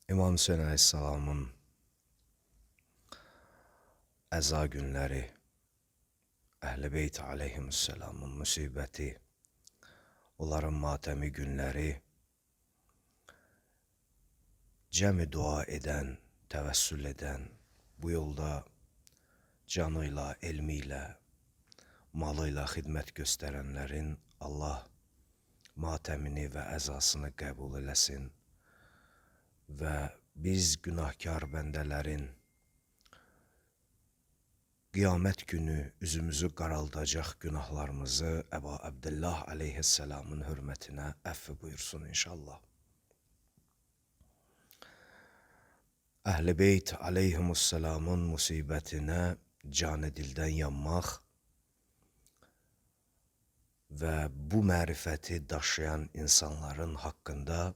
İmam Hüseyin Aleyhisselamın əza günləri, Əhl-i Beyt Aleyhisselamın müsibəti, onların matəmi günləri, cəmi dua edən, təvəssül edən, bu yolda canıyla, elmiyle, malıyla xidmət göstərənlərin Allah matəmini və əzasını qəbul eləsin və biz günahkar bəndələrin qiyamət günü üzümüzü qaraldacaq günahlarımızı Əba Abdullah Aleyhisselamın hörmətinə əfv buyursun inşallah. Əhl-i Beyt Aleyhisselamın musibətinə canı dildən yanmaq və bu mərifəti daşıyan insanların haqqında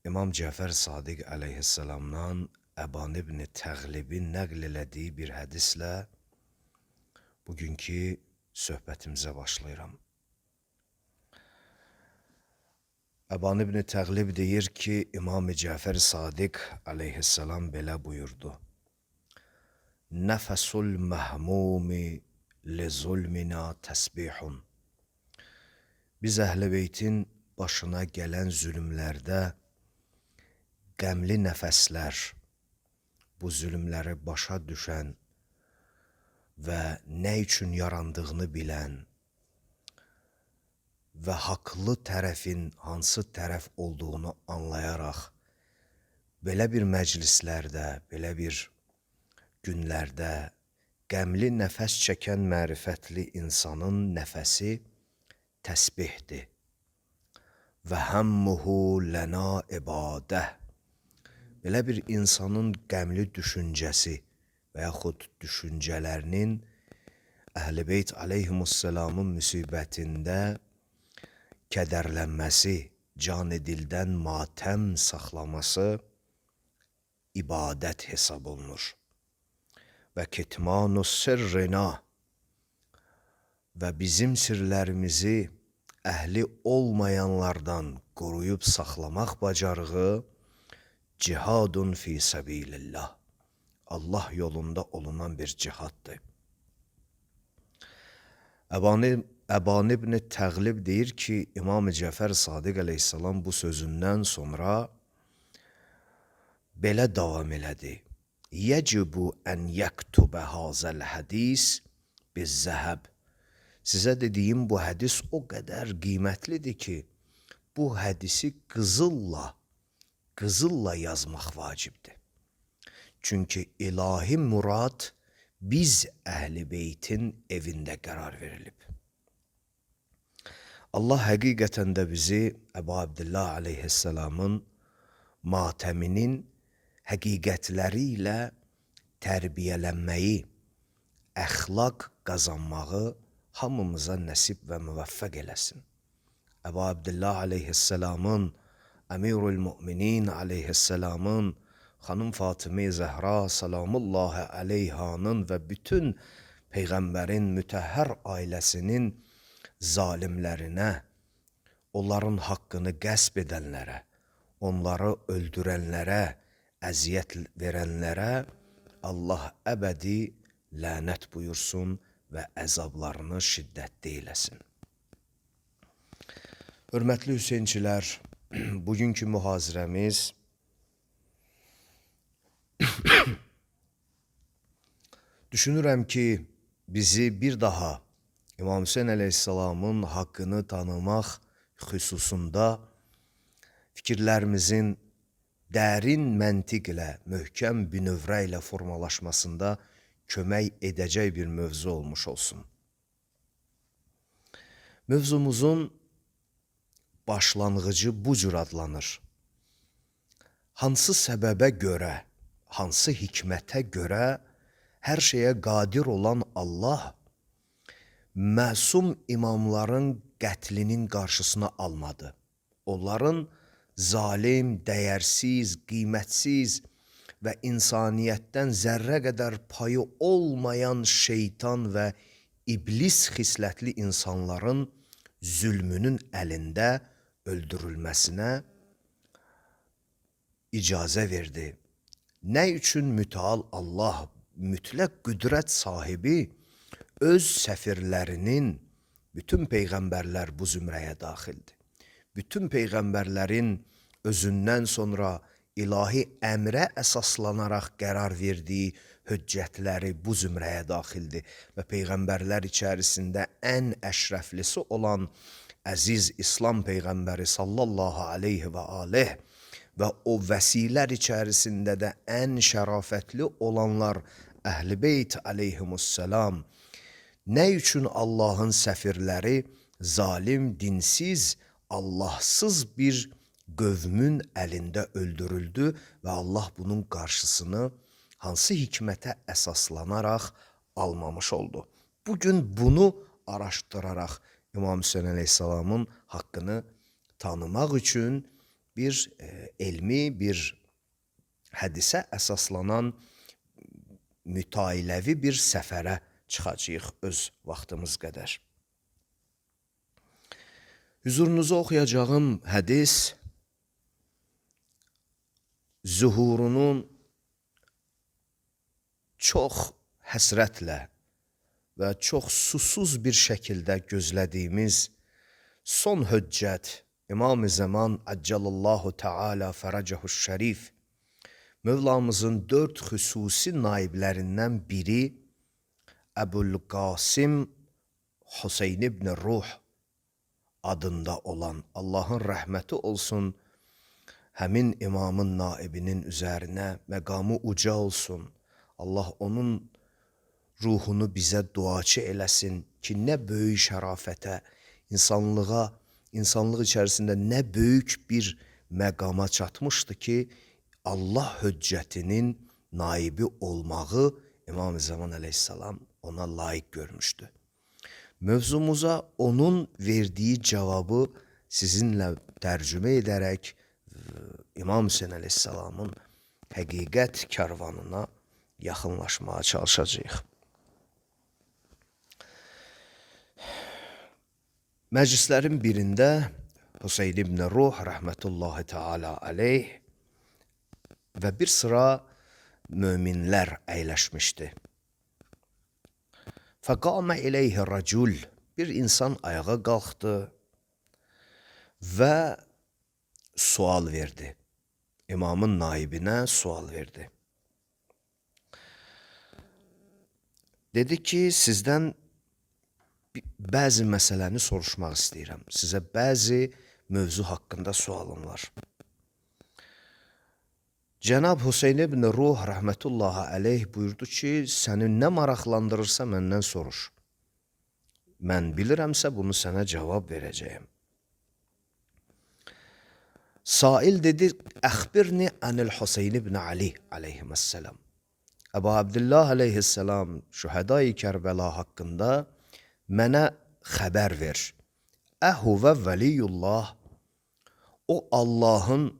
İmam Cəfər Sadiq Aleyhisselamdan Əban ibn Təğlibin nəql elədiyi bir hədislə bugünkü söhbətimizə başlayıram. Əban ibn Təğlib deyir ki, İmam Cəfər Sadiq Aleyhisselam belə buyurdu. Nəfəsul məhmumi li zulmina təsbihun. Biz Əhl-i Beytin başına gələn zülümlərdə qəmli nəfəslər, bu zülümləri başa düşən və nə üçün yarandığını bilən və haqlı tərəfin hansı tərəf olduğunu anlayaraq belə bir məclislərdə, belə bir günlərdə qəmli nəfəs çəkən mərifətli insanın nəfəsi təsbihdir. Və həmmuhu lənə ibadə. Belə bir insanın qəmli düşüncəsi və yaxud düşüncələrinin Əhl-i Beyt Aleyhisselamın müsibətində kədərlənməsi, can-ı dildən matəm saxlaması ibadət hesab olunur. Və kitmanu sirrina və bizim sirlərimizi əhli olmayanlardan qoruyub saxlamaq bacarığı cihadun fi səbilillah. Allah yolunda olunan bir cihaddır. Əban ibn Təğlib deyir ki, İmam Cəfər Sadiq Aleyhisselam bu sözündən sonra belə davam elədi. Yəcibu ən yəktubə hazəl hədis biz zəhəb. Sizə dediyim bu hədis o qədər qiymətlidir ki, bu hədisi qızılla yazmaq vacibdir. Çünki ilahi murad biz Əhl-i Beytin evində qərar verilib. Allah həqiqətən də bizi Əbu Abdullah Aleyhisselamın matəminin həqiqətləri ilə tərbiyələnməyi, əxlaq qazanmağı hamımıza nəsib və müvəffəq eləsin. Əbu Abdullah Aleyhisselamın, Əmirul Müminin Aleyhisselamın, Xanım Fatıma Zəhra salamullahi aleyhanın və bütün Peyğəmbərin mütəhhər ailəsinin zalimlərinə, onların haqqını qəsb edənlərə, onları öldürənlərə, əziyyət verənlərə Allah əbədi lənət buyursun və əzablarını şiddətli eləsin. Hörmətli Hüseynçilər, bugünkü mühazirəmiz düşünürəm ki, bizi bir daha İmam Hüseyin Aleyhisselamın haqqını tanımaq xüsusunda fikirlərimizin dərin məntiq ilə, möhkəm bünövrə ilə formalaşmasında kömək edəcək bir mövzu olmuş olsun. Mövzumuzun başlanğıcı bu cür adlanır. Hansı səbəbə görə, hansı hikmətə görə hər şeyə qadir olan Allah məsum imamların qətlinin qarşısını almadı. Onların zalim, dəyərsiz, qiymətsiz və insaniyyətdən zərrə qədər payı olmayan şeytan və iblis xislətli insanların zülmünün əlində öldürülməsinə icazə verdi. Nə üçün mütəal Allah, mütləq qüdrət sahibi öz səfirlərinin, bütün peyğəmbərlər bu zümrəyə daxildir. Bütün peyğəmbərlərin özündən sonra ilahi əmrə əsaslanaraq qərar verdiyi höccətləri bu zümrəyə daxildir və peyğəmbərlər içərisində ən əşrəflisi olan əziz İslam peyğəmbəri sallallahu aleyhi və aleyh və o vəsilər içərisində də ən şərafətli olanlar Əhl-i Beyt aleyhimussalam. Nə üçün Allahın səfirləri zalim, dinsiz, Allahsız bir qövmün əlində öldürüldü və Allah bunun qarşısını hansı hikmətə əsaslanaraq almamış oldu? Bugün bunu araşdıraraq İmam Hüseyin Aleyhisselamın haqqını tanımaq üçün bir elmi, bir hədisə əsaslanan mütailəvi bir səfərə çıxacağıq öz vaxtımız qədər. Hüzurunuza oxuyacağım hədis zuhurunun çox həsrətlə və çox susuz bir şəkildə gözlədiyimiz son höccət İmam-ı Zaman Əccalallahu Teala Fərəcəhuş Şərif Mövlamızın 4 xüsusi naiblərindən biri Əbul-Qasim Hüseyn ibn Ruh adında olan, Allahın rəhməti olsun, həmin imamın naibinin üzərinə məqamı uca olsun. Allah onun ruhunu bizə duaçı eləsin ki, nə böyük şərafətə, insanlıq içərisində nə böyük bir məqama çatmışdı ki, Allah höccətinin naibi olmağı İmam-ı Zaman Aleyhisselam ona layiq görmüşdü. Mövzumuza onun verdiyi cavabı sizinlə tərcümə edərək İmam Hüseyin Aleyhisselamın həqiqət kərvanına yaxınlaşmağa çalışacağıq. Məclislərin birində Hüseyn ibn Ruh rəhmətullahi teala aleyh və bir sıra möminlər əyləşmişdi. Fəqamə iləyhi rəcul, bir insan ayağa qalxdı və sual verdi. İmamın naibinə sual verdi. Dedi ki, sizdən bəzi məsələni soruşmaq istəyirəm. Sizə bəzi mövzu haqqında sualım var. Cənab Hüseyn ibn Ruh rəhmətullahi aleyh buyurdu ki, səni nə maraqlandırırsa məndən soruş. Mən bilirəmsə bunu sənə cavab verəcəyim. Sail dedi, əxbirni anil Hüseyn ibn Ali aleyhisselam. Əbu Abdullah aleyhisselam şühədai Kərbəla haqqında mənə xəbər ver. Əhuvə vəliyullah, o Allahın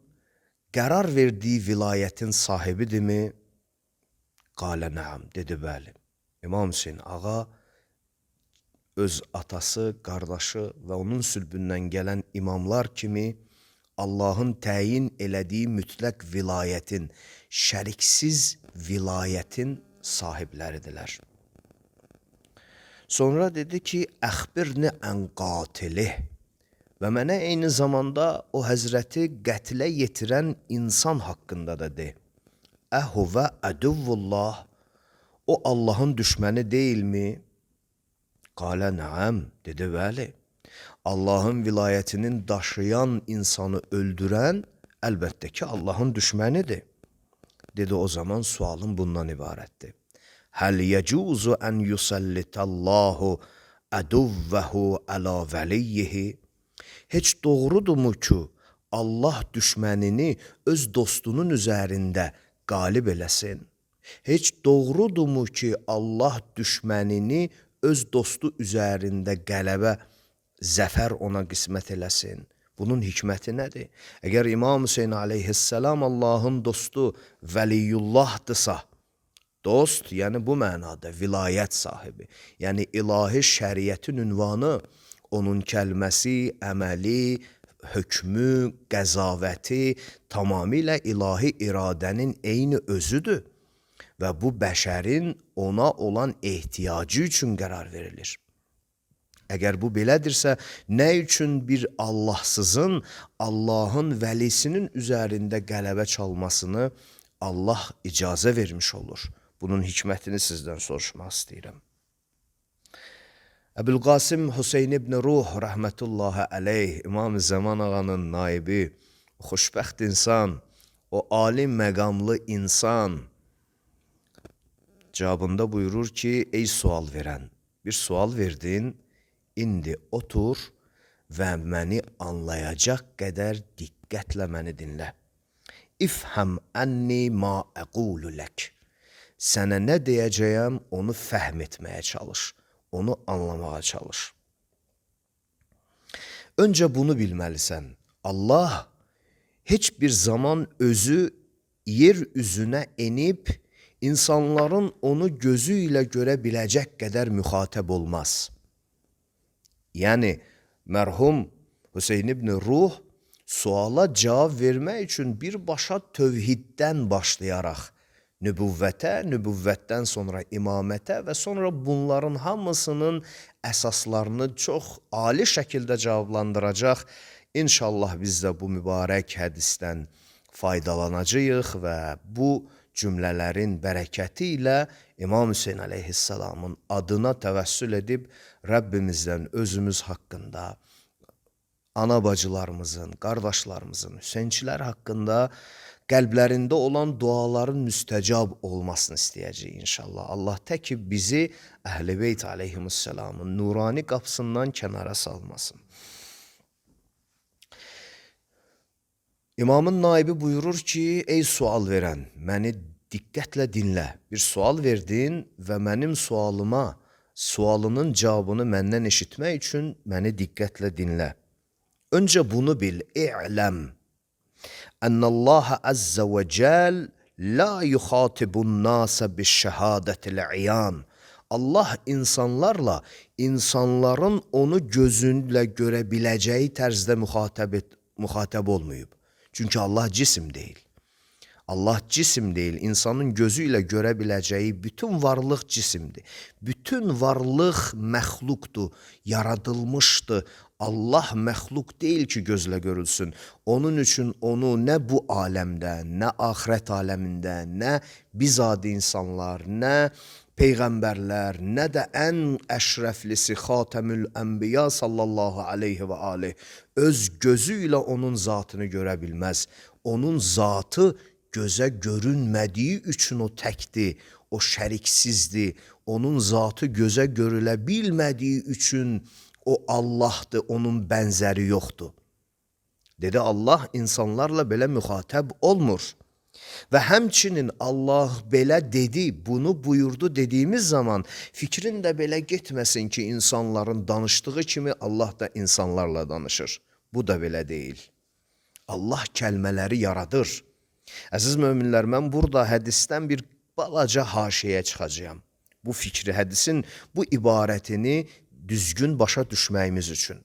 qərar verdiyi vilayətin sahibidirmi? Qalə nəam, dedi bəli. İmam Hüseyin ağa öz atası, qardaşı və onun sülbündən gələn imamlar kimi Allahın təyin elədiyi mütləq vilayətin, şəriksiz vilayətin sahibləridirlər. Sonra dedi ki, əxbirni ən qatilih və mənə eyni zamanda o həzrəti qətlə yetirən insan haqqında da de. Əhuvə əduvvullah, o Allahın düşməni deyilmi? Qalə nəam, dedi bəli. Allahın vilayətinin daşıyan insanı öldürən əlbəttə ki, Allahın düşmənidir. Dedi, o zaman sualım bundan ibarətdir. Həl yəcuzu ən yusallitallahu əduvvəhu əla vəliyyihi. Heç doğrudurmu ki, Allah düşmənini öz dostunun üzərində qalib eləsin? Heç doğrudurmu ki, Allah düşmənini öz dostu üzərində qələbə, zəfər ona qismət eləsin? Bunun hikməti nədir? Əgər İmam Hüseyin aleyhisselam Allahın dostu vəliyullahdısa, dost, yəni bu mənada vilayət sahibi, yəni ilahi şəriətin ünvanı, onun kəlməsi, əməli, hökmü, qəzavəti tamamilə ilahi iradənin eyni özüdür və bu bəşərin ona olan ehtiyacı üçün qərar verilir. Əgər bu belədirsə, nə üçün bir Allahsızın, Allahın vəlisinin üzərində qələbə çalmasını Allah icazə vermiş olur? Bunun hikmətini sizdən soruşmaq istəyirəm. Əbülqasim Hüseyin ibn Ruh rəhmətullahi əleyh, İmam-ı Zaman ağanın naibi, xoşbəxt insan, o alim məqamlı insan cavabında buyurur ki, ey sual verən, bir sual verdin, indi otur və məni anlayacaq qədər diqqətlə məni dinlə. İfhəm ənni ma əqulu lək. Sənə nə deyəcəyəm, onu fəhm etməyə çalış. Onu anlamağa çalış. Öncə bunu bilməlisən. Allah heç bir zaman özü yer üzünə enib, insanların onu gözü ilə görə biləcək qədər müxatəb olmaz. Yəni, mərhum Hüseyin ibn Ruh suala cavab vermək üçün birbaşa tövhiddən başlayaraq, nübüvvətə, nübüvvətdən sonra imamətə və sonra bunların hamısının əsaslarını çox ali şəkildə cavablandıracaq. İnşallah biz də bu mübarək hədisdən faydalanacağıq və bu cümlələrin bərəkəti ilə İmam Hüseyin əleyhissalamın adına təvəssül edib Rəbbimizdən özümüz haqqında, ana bacılarımızın, qardaşlarımızın, Hüseynçilər haqqında qəlblərində olan duaların müstəcab olmasını istəyəcək inşallah. Allah təki bizi Əhl-i Beyt aleyhimussalamın nurani qapısından kənara salmasın. İmamın naibi buyurur ki, ey sual verən, məni diqqətlə dinlə. Bir sual verdin və mənim sualının cavabını məndən eşitmək üçün məni diqqətlə dinlə. Öncə bunu bil, i'ləm. Ənəllaha əzzə və cəl la yuxatibun nasa biş-şəhadətil-iyan. Allah insanların onu gözünlə görə biləcəyi tərzdə müxatəb olmayıb. Çünki Allah cisim deyil. Allah cisim deyil, insanın gözü ilə görə biləcəyi bütün varlıq cisimdir. Bütün varlıq məxluqdur, yaradılmışdır. Allah məxluq deyil ki, gözlə görülsün. Onun üçün onu nə bu aləmdə, nə axirət aləmində, nə biz adi insanlar, nə peyğəmbərlər, nə də ən əşrəflisi Xatəmül Ənbiya sallallahu aleyhi və aleyh öz gözü ilə onun zatını görə bilməz. Onun zatı gözə görünmədiyi üçün o təkdir, o şəriksizdir. Onun zatı gözə görülə bilmədiyi üçün o Allahdır, onun bənzəri yoxdur. Dedi, Allah insanlarla belə müxatəb olmur. Və həmçinin Allah belə dedi, bunu buyurdu dediyimiz zaman fikrin də belə getməsin ki, insanların danışdığı kimi Allah da insanlarla danışır. Bu da belə deyil. Allah kəlmələri yaradır. Əziz möminlər, mən burada hədisdən bir balaca haşiyə çıxacağam. Bu fikri, hədisin bu ibarətini düzgün başa düşməyimiz üçün.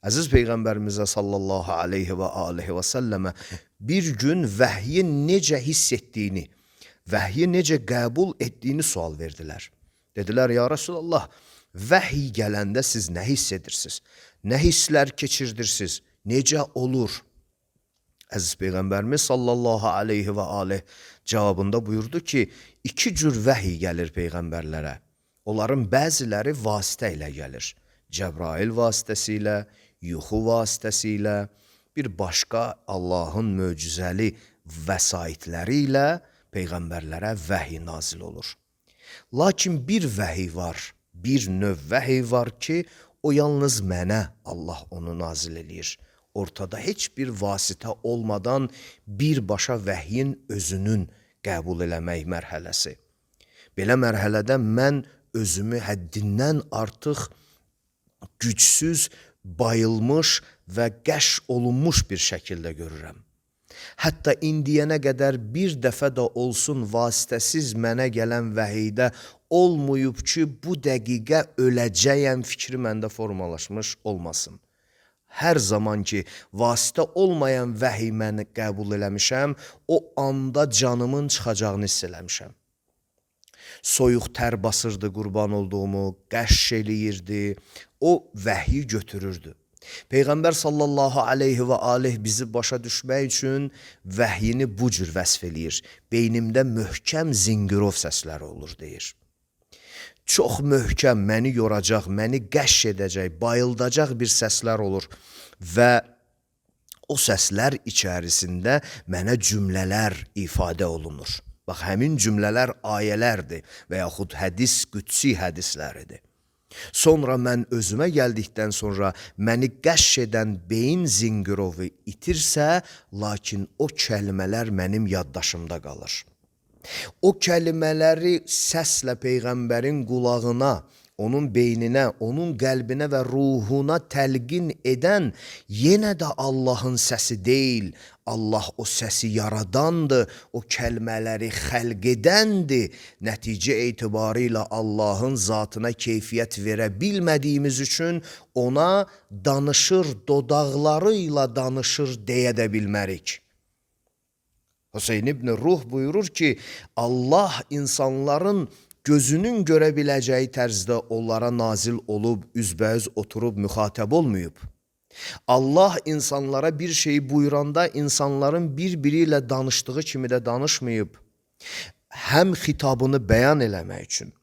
Əziz Peyğəmbərimizə sallallahu aleyhi və aleyhi və səlləmə bir gün vəhyin necə hiss etdiyini, vəhyi necə qəbul etdiyini sual verdilər. Dedilər, ya Resulallah, vəhiy gələndə siz nə hiss edirsiniz? Nə hisslər keçirdirsiniz? Necə olur? Əziz Peyğəmbərimiz sallallahu aleyhi və aleyh cavabında buyurdu ki, iki cür vəhiy gəlir Peyğəmbərlərə. Onların bəziləri vasitə ilə gəlir. Cəbrail vasitəsilə, yuxu vasitəsilə, bir başqa Allahın möcüzəli vəsaitləri ilə Peyğəmbərlərə vəhiy nazil olur. Lakin bir vəhiy var, bir növ vəhiy var ki, o yalnız mənə Allah onu nazil edir. Ortada heç bir vasitə olmadan birbaşa vəhyin özünün qəbul eləmək mərhələsi. Belə mərhələdə mən özümü həddindən artıq gücsüz, bayılmış və qəş olunmuş bir şəkildə görürəm. Hətta indiyənə qədər bir dəfə də olsun vasitəsiz mənə gələn vəhiydə olmayıb ki, bu dəqiqə öləcəyəm fikri məndə formalaşmış olmasın. hər zaman ki, vasitə olmayan vəhiy mən qəbul eləmişəm, o anda canımın çıxacağını hiss eləmişəm. Soyuq tər basırdı qurban olduğumu, qəşş eləyirdi, o vəhiy götürürdü. Peyğəmbər sallallahu aleyhi və aleyh bizi başa düşmək üçün vəhyini bu cür vəsf eləyir. Beynimdə möhkəm zingirov səsləri olur, deyir. Çox möhkəm, məni yoracaq, məni qəşş edəcək, bayıldacaq bir səslər olur və o səslər içərisində mənə cümlələr ifadə olunur. Bax, həmin cümlələr ayələrdir və yaxud hədis, qüdsi hədisləridir. Sonra mən özümə gəldikdən sonra məni qəşş edən beyin zingirovu itirsə, lakin o kəlmələr mənim yaddaşımda qalır. O kəlmələri səslə Peyğəmbərin qulağına, onun beyninə, onun qəlbinə və ruhuna təlqin edən yenə də Allahın səsi deyil, Allah o səsi yaradandır, o kəlmələri xəlq edəndir. Nəticə etibarıyla Allahın zatına keyfiyyət verə bilmədiyimiz üçün ona danışır, dodaqlarıyla danışır deyə də bilmərik. Hüseyn ibn Ruh buyurur ki, Allah insanların gözünün görə biləcəyi tərzdə onlara nazil olub, üzbəüz oturub müxatəb olmayıb. Allah insanlara bir şeyi buyuranda insanların bir-biri ilə danışdığı kimi də danışmayıb. Həm xitabını bəyan eləmək üçün,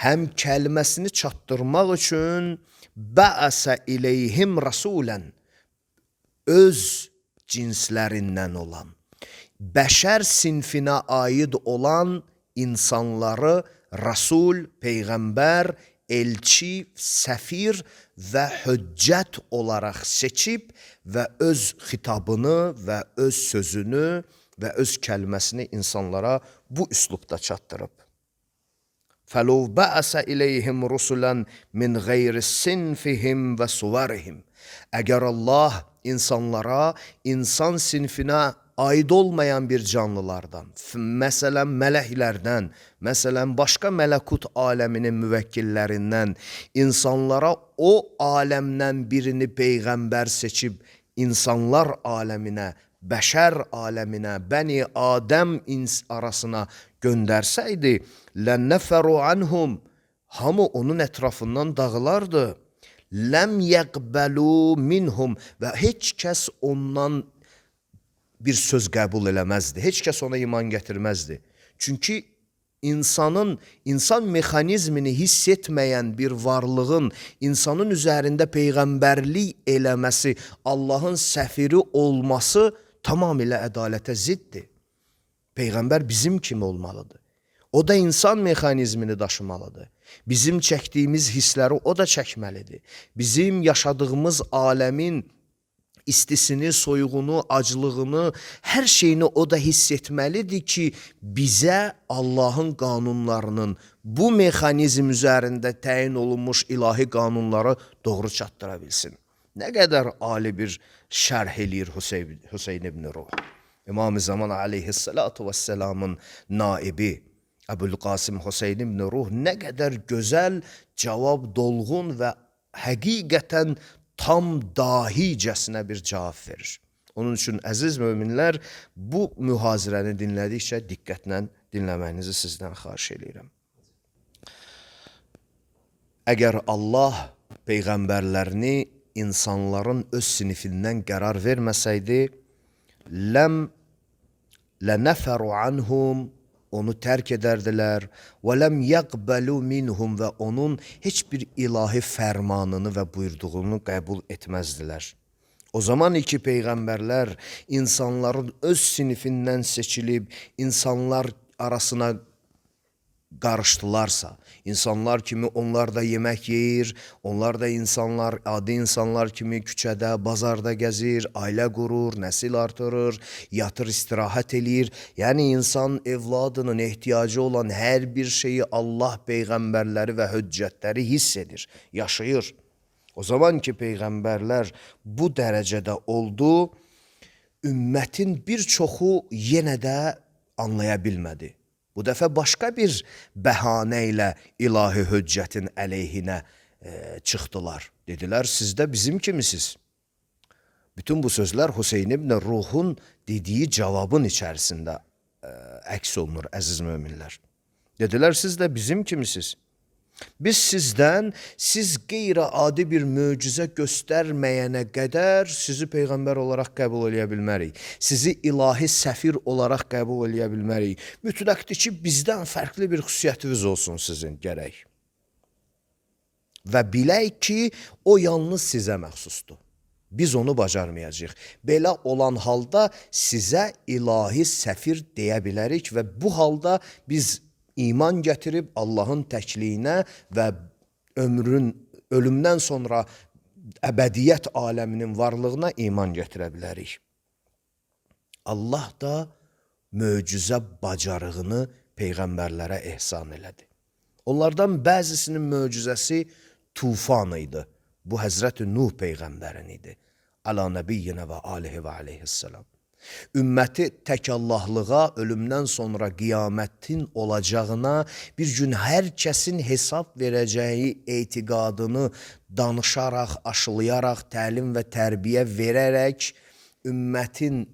həm kəlməsini çatdırmaq üçün bəəsə iləyhim rasulən, öz cinslərindən olan, bəşər sinfinə aid olan insanları Rasul, Peyğəmbər, elçi, səfir və hüccət olaraq seçib və öz xitabını və öz sözünü və öz kəlməsini insanlara bu üslubda çatdırıb. فَلَوْ بَعَسَ إِلَيْهِمْ رُسُلًا مِنْ غَيْرِ سِنْفِهِمْ وَسُوَرِهِمْ. Əgər Allah insanlara, insan sinfinə aid olmayan bir canlılardan, məsələn mələklərdən, məsələn başqa mələkut aləminin müvəkkillərindən insanlara o aləmdən birini peyğəmbər seçib insanlar aləminə, bəşər aləminə, bəni Adəm arasına göndərsəydi, لَنَّفَرُوا عَنْهُمْ, hamı onun ətrafından dağılardı. لَمْ يَقْبَلُوا مِنْهُمْ, və heç kəs ondan bir söz qəbul eləməzdi. Heç kəs ona iman gətirməzdi. Çünki insan mexanizmini hiss etməyən bir varlığın insanın üzərində peyğəmbərlik eləməsi, Allahın səfiri olması tamamilə ədalətə ziddir. Peyğəmbər bizim kimi olmalıdır. O da insan mexanizmini daşımalıdır. Bizim çəkdiyimiz hissləri o da çəkməlidir. Bizim yaşadığımız aləmin istisini, soyuğunu, aclığını, hər şeyini o da hiss etməlidir ki, bizə Allahın qanunlarının bu mexanizm üzərində təyin olunmuş ilahi qanunları doğru çatdıra bilsin. Nə qədər ali bir şərh eləyir Hüseyn ibn Ruh. İmam-ı Zaman aleyhissalatu vesselamın naibi Əbülqasım Hüseyn ibn Ruh nə qədər gözəl, cavab dolğun və həqiqətən tam dahicəsinə bir cavab verir. Onun üçün əziz möminlər, bu mühazirəni dinlədikcə diqqətlə dinləməyinizi sizdən xahiş edirəm. Əgər Allah peyğəmbərlərini insanların öz sinifindən qərar verməsəydi, lənəfəru anhum, onu tərk edərdilər və ləm yəqbəlu minhum, və onun heç bir ilahi fərmanını və buyurduğunu qəbul etməzdilər. O zaman iki peyğəmbərlər insanların öz sinifindən seçilib insanlar arasına qarışdılarsa, insanlar kimi onlar da yemək yeyir, onlar da insanlar, adi insanlar kimi küçədə, bazarda gəzir, ailə qurur, nəsil artırır, yatır, istirahət eləyir. Yəni insan evladının ehtiyacı olan hər bir şeyi Allah peyğəmbərləri və hüccətləri hiss edir, yaşayır. O zaman ki peyğəmbərlər bu dərəcədə oldu, ümmətin bir çoxu yenə də anlaya bilmədi. Bu dəfə başqa bir bəhanə ilə ilahi hüccətin əleyhinə çıxdılar. Dedilər, siz də bizim kimisiniz. Bütün bu sözlər Hüseyn ibn Ruhun dediyi cavabın içərisində əks olunur, əziz möminlər. Dedilər, siz də bizim kimisiniz. Biz sizdən, siz qeyri-adi bir möcüzə göstərməyənə qədər sizi peyğəmbər olaraq qəbul eləyə bilmərik. Sizi ilahi səfir olaraq qəbul eləyə bilmərik. Mütləqdir ki, bizdən fərqli bir xüsusiyyətiniz olsun sizin gərək. Və bilək ki, o yalnız sizə məxsusdur. Biz onu bacarmayacağıq. Belə olan halda sizə ilahi səfir deyə bilərik və bu halda biz iman gətirib Allahın təkliyinə və ölümdən sonra əbədiyyət aləminin varlığına iman gətirə bilərik. Allah da möcüzə bacarığını peyğəmbərlərə ehsan elədi. Onlardan bəzisinin möcüzəsi tufan idi. Bu Həzrət Nuh peyğəmbərin idi. Əla nəbiyyinə və alihi və aleyhissalam. Ümməti tək Allahlığa, ölümdən sonra qiyamətin olacağına, bir gün hər kəsin hesab verəcəyi etiqadını danışaraq, aşılayaraq, təlim və tərbiyə verərək, ümmətin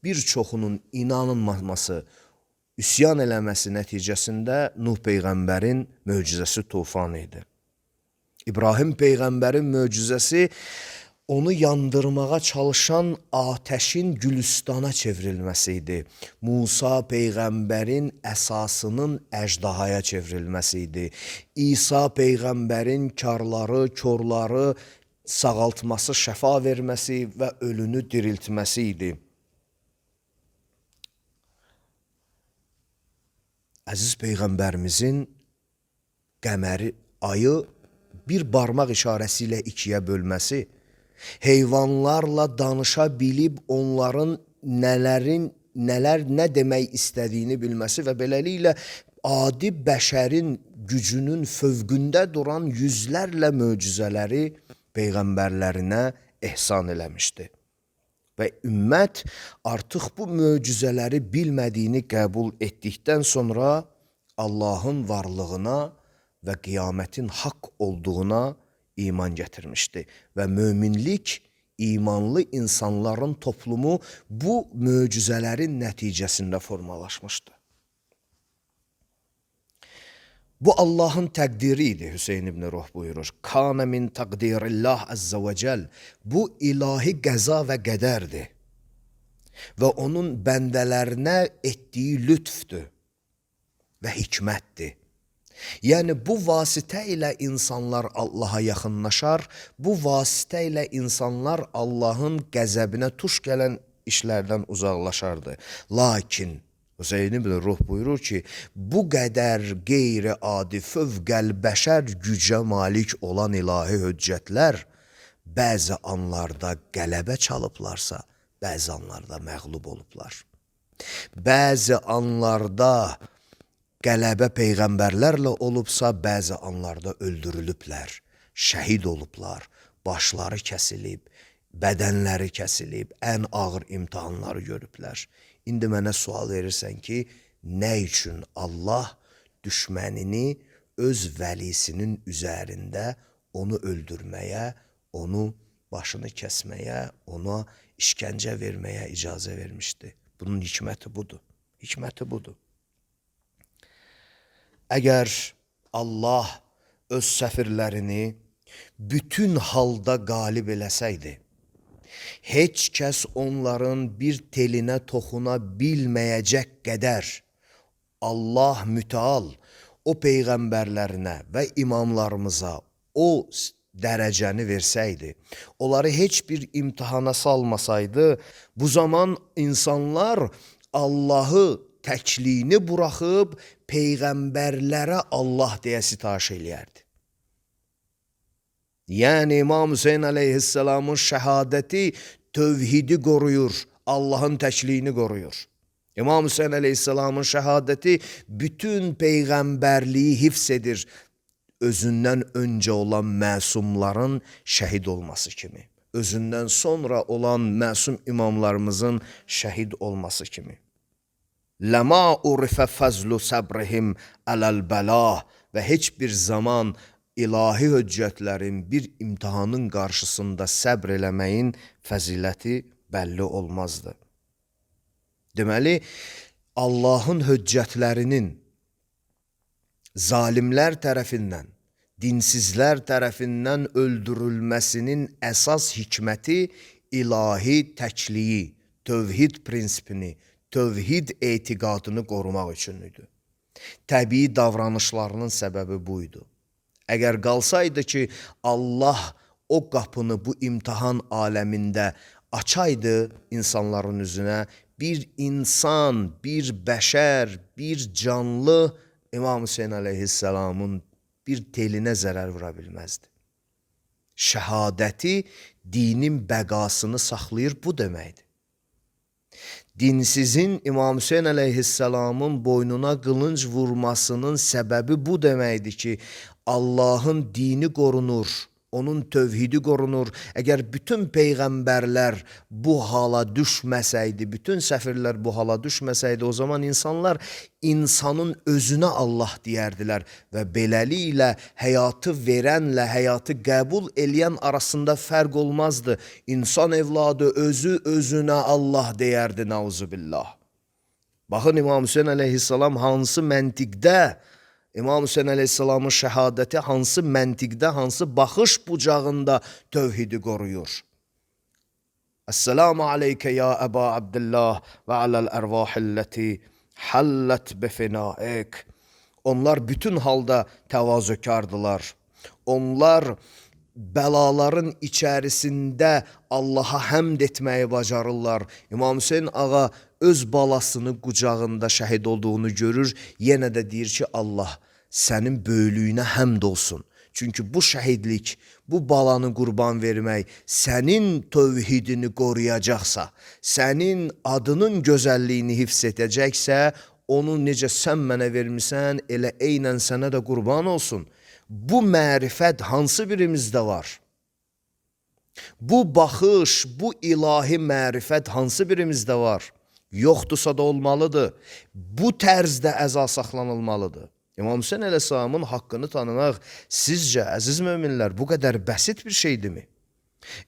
bir çoxunun inanılmaması, üsyan eləməsi nəticəsində Nuh peyğəmbərin möcüzəsi tufan idi. İbrahim peyğəmbərin möcüzəsi onu yandırmağa çalışan ateşin gülüstana çevrilməsi idi. Musa peyğəmbərin əsasının əjdahaya çevrilməsi idi. İsa peyğəmbərin karları, körləri sağaltması, şəfa verməsi və ölünü diriltməsi idi. Əziz peyğəmbərimizin qəməri, ayı bir barmaq işarəsi ilə ikiyə bölməsi, heyvanlarla danışa bilib onların nələr nə demək istədiyini bilməsi və beləliklə adi bəşərin gücünün fövqündə duran yüzlərlə möcüzələri peyğəmbərlərinə ehsan eləmişdi. Və ümmət artıq bu möcüzələri bilmədiyini qəbul etdikdən sonra Allahın varlığına və qiyamətin haqq olduğuna iman gətirmişdi. Və möminlik, imanlı insanların toplumu bu möcüzələrin nəticəsində formalaşmışdı. Bu Allahın təqdiri idi, Hüseyn ibn Ruh buyurur. Kana min təqdirillah əzzə və cəl. Bu ilahi qəza və qədərdir. Və onun bəndələrinə etdiyi lütfdür və hikmətdir. Yəni bu vasitə ilə insanlar Allaha yaxınlaşar, bu vasitə ilə insanlar Allahın qəzəbinə tuş gələn işlərdən uzaqlaşardı. Lakin Hüseyn ibn Ruh buyurur ki, bu qədər qeyri-adi fövqəl-bəşər gücə malik olan ilahi höccətlər bəzi anlarda qələbə çalıblarsa, bəzi anlarda məğlub olublar. Bəzi anlarda qələbə peyğəmbərlərlə olubsa, bəzi anlarda öldürülüblər, şəhid olublar, başları kəsilib, bədənləri kəsilib, ən ağır imtihanları görüblər. İndi mənə sual verirsən ki, nə üçün Allah düşmənini öz vəlisinin üzərində onu öldürməyə, onu başını kəsməyə, ona işgəncə verməyə icazə vermişdi? Bunun hikməti budur. Hikməti budur. Əgər Allah öz səfirlərini bütün halda qalib eləsəydi, heç kəs onların bir telinə toxuna bilməyəcək qədər Allah mütəal o peyğəmbərlərinə və imamlarımıza o dərəcəni versəydi, onları heç bir imtihana salmasaydı, bu zaman insanlar Allahı təkliyini buraxıb peyğəmbərlərə Allah deyə sitayiş eləyərdi. Yəni İmam Hüseyin əleyhissalamın şəhadəti tövhidi qoruyur, Allahın təkliyini qoruyur. İmam Hüseyin əleyhissalamın şəhadəti bütün peyğəmbərliyi hifz edir, özündən öncə olan məsumların şəhid olması kimi, özündən sonra olan məsum imamlarımızın şəhid olması kimi. Ləma urifə fəzlu səbrihim ələl-bəlah və heç bir zaman ilahi höccətlərin bir imtihanın qarşısında səbr eləməyin fəziləti bəlli olmazdı. Deməli, Allahın höccətlərinin zalimlər tərəfindən, dinsizlər tərəfindən öldürülməsinin əsas hikməti ilahi təkliyi, tövhid prinsipini, tövhid etiqadını qorumaq üçün idi. Təbii davranışlarının səbəbi buydu. Əgər qalsaydı ki, Allah o qapını bu imtihan aləmində açaydı insanların üzünə, bir insan, bir bəşər, bir canlı İmam Hüseyin əleyhisselamın bir telinə zərər vura bilməzdi. Şəhadəti dinin bəqasını saxlayır, bu deməkdir. Dinsizin İmam Hüseyin əleyhisselamın boynuna qılınc vurmasının səbəbi bu deməkdir ki, Allahın dini qorunur, onun tövhidi qorunur. Əgər bütün peyğəmbərlər bu hala düşməsəydi, bütün səfirlər bu hala düşməsəydi, o zaman insanlar insanın özünə Allah deyərdilər və beləliklə həyatı verənlə həyatı qəbul eləyən arasında fərq olmazdı. İnsan evladı özü özünə Allah deyərdi, nauzubillah. Baxın, İmam Hüseyin əleyhisselam hansı məntiqdə, İmam Hüseyin əleyhisselamın şəhadəti hansı məntiqdə, hansı baxış bucağında tövhidi qoruyur. Esselamu aleykə ya Əba Abdillah və aləl ərvahilləti həllət bifinaik. Onlar bütün halda təvazökardılar. Onlar bəlaların içərisində Allaha həmd etməyi bacarırlar. İmam Hüseyin ağa öz balasını qucağında şəhid olduğunu görür, yenə də deyir ki, Allah sənin böyüklüyünə həmd olsun. Çünki bu şəhidlik, bu balanı qurban vermək sənin tövhidini qoruyacaqsa, sənin adının gözəlliyini hifz edəcəksə, onu necə sən mənə vermisən, elə eynən sənə də qurban olsun. Bu mərifət hansı birimizdə var? Bu baxış, bu ilahi mərifət hansı birimizdə var? Yoxdursa da olmalıdır. Bu tərzdə əza saxlanılmalıdır. İmam Hüseyin əleyhisselamın haqqını tanımaq sizcə, əziz möminlər, bu qədər bəsit bir şeydirmi?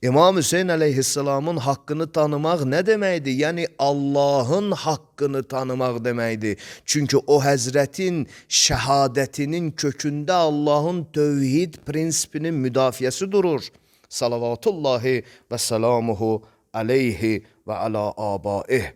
İmam Hüseyin əleyhisselamın haqqını tanımaq nə deməkdir? Yəni Allahın haqqını tanımaq deməkdir. Çünki o həzrətin şəhadətinin kökündə Allahın tövhid prinsipinin müdafiəsi durur. Salavatullahi və salamuhu aleyhi və ala abaih.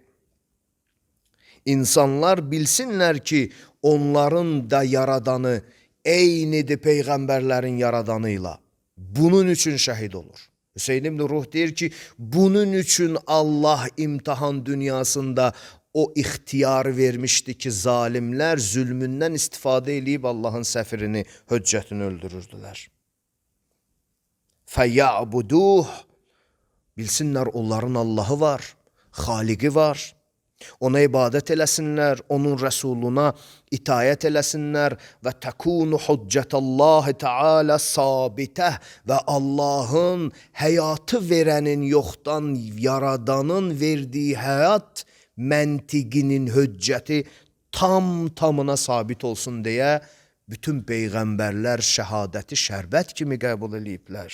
İnsanlar bilsinlər ki, onların da yaradanı eynidir peyğəmbərlərin yaradanıyla. Bunun üçün şəhid olur. Hüseyin ibn Ruh deyir ki, bunun üçün Allah imtihan dünyasında o ixtiyar vermişdi ki, zalimlər zülmündən istifadə edib Allahın səfirini, höccətini öldürürdülər. Fəyyəbuduh, bilsinlər onların Allahı var, xaliqi var. Ona ibadət eləsinlər, onun rəsuluna itayət eləsinlər və təkunu hüccətallahi teala sabitəh və Allahın həyatı verənin yoxdan yaradanın verdiyi həyat məntiqinin höccəti tamına sabit olsun deyə bütün peyğəmbərlər şəhadəti şərbət kimi qəbul ediblər.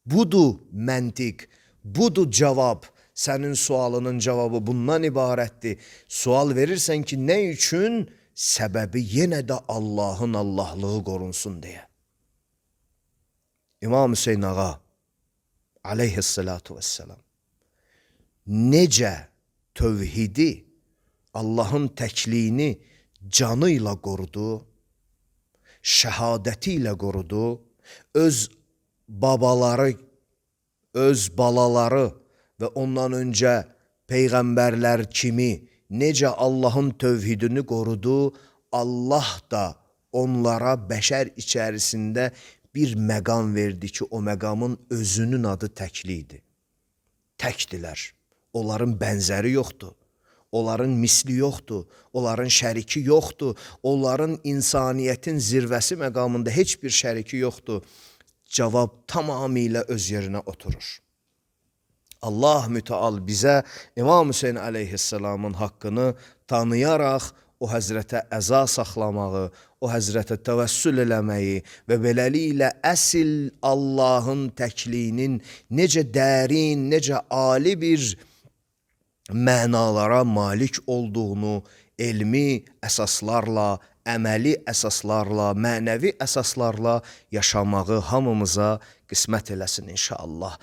Budur məntiq, budur cavab. Sənin sualının cavabı bundan ibarətdir. Sual verirsən ki, nə üçün? Səbəbi yenə də Allahın Allahlığı qorunsun deyə. İmam Hüseyin ağa aleyhissalatu vesselam necə tövhidi, Allahın təkliyini canı ilə qorudu, şəhadəti ilə qorudu, öz babaları, öz balaları və ondan öncə peyğəmbərlər kimi necə Allahın tövhidini qorudu, Allah da onlara bəşər içərisində bir məqam verdi ki, o məqamın özünün adı təklidir. Təkdilər. Onların bənzəri yoxdur. Onların misli yoxdur. Onların şəriki yoxdur. Onların insaniyyətin zirvəsi məqamında heç bir şəriki yoxdur. Cavab tamamilə öz yerinə oturur. Allah müteal bizə İmam Hüseyin aleyhisselamın haqqını tanıyaraq o həzrətə əza saxlamağı, o həzrətə təvəssül eləməyi və beləliklə əsl Allahın təkliyinin necə dərin, necə ali bir mənalara malik olduğunu elmi əsaslarla, əməli əsaslarla, mənəvi əsaslarla yaşamağı hamımıza qismət eləsin inşallah.